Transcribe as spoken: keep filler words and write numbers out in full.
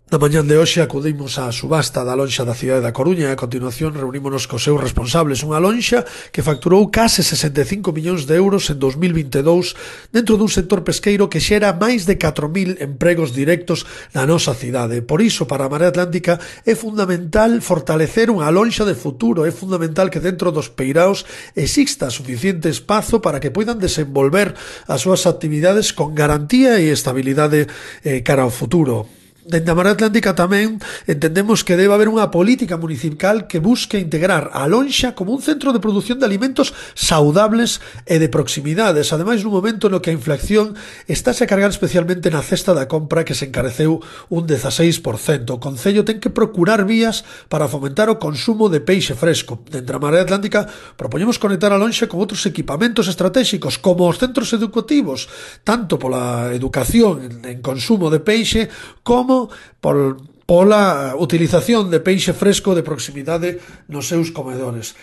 Na mañán de hoxe acudimos á subasta da lonxa da cidade da Coruña e a continuación reunímonos cos seus responsables. Unha lonxa que facturou case sesenta e cinco millóns de euros en dos mil vinte e dous dentro dun sector pesqueiro que xera máis de catro mil empregos directos na nosa cidade. Por iso, para a Marea Atlántica é fundamental fortalecer unha lonxa de futuro. É fundamental que dentro dos peiraos exista suficiente espazo para que poidan desenvolver as súas actividades con garantía e estabilidade eh, cara ao futuro. Dende a Marea Atlántica tamén entendemos que debe haber unha política municipal que busque integrar a lonxa como un centro de produción de alimentos saudables e de proximidades, ademais nun momento no que a inflación estáse a cargar especialmente na cesta da compra, que se encareceu un dezaseis por cento. O Concello ten que procurar vías para fomentar o consumo de peixe fresco. Dende a Marea Atlántica propoñemos conectar a lonxa con outros equipamentos estratégicos como os centros educativos, tanto pola educación en consumo de peixe como por, pola utilización de peixe fresco de proximidade nos seus comedores.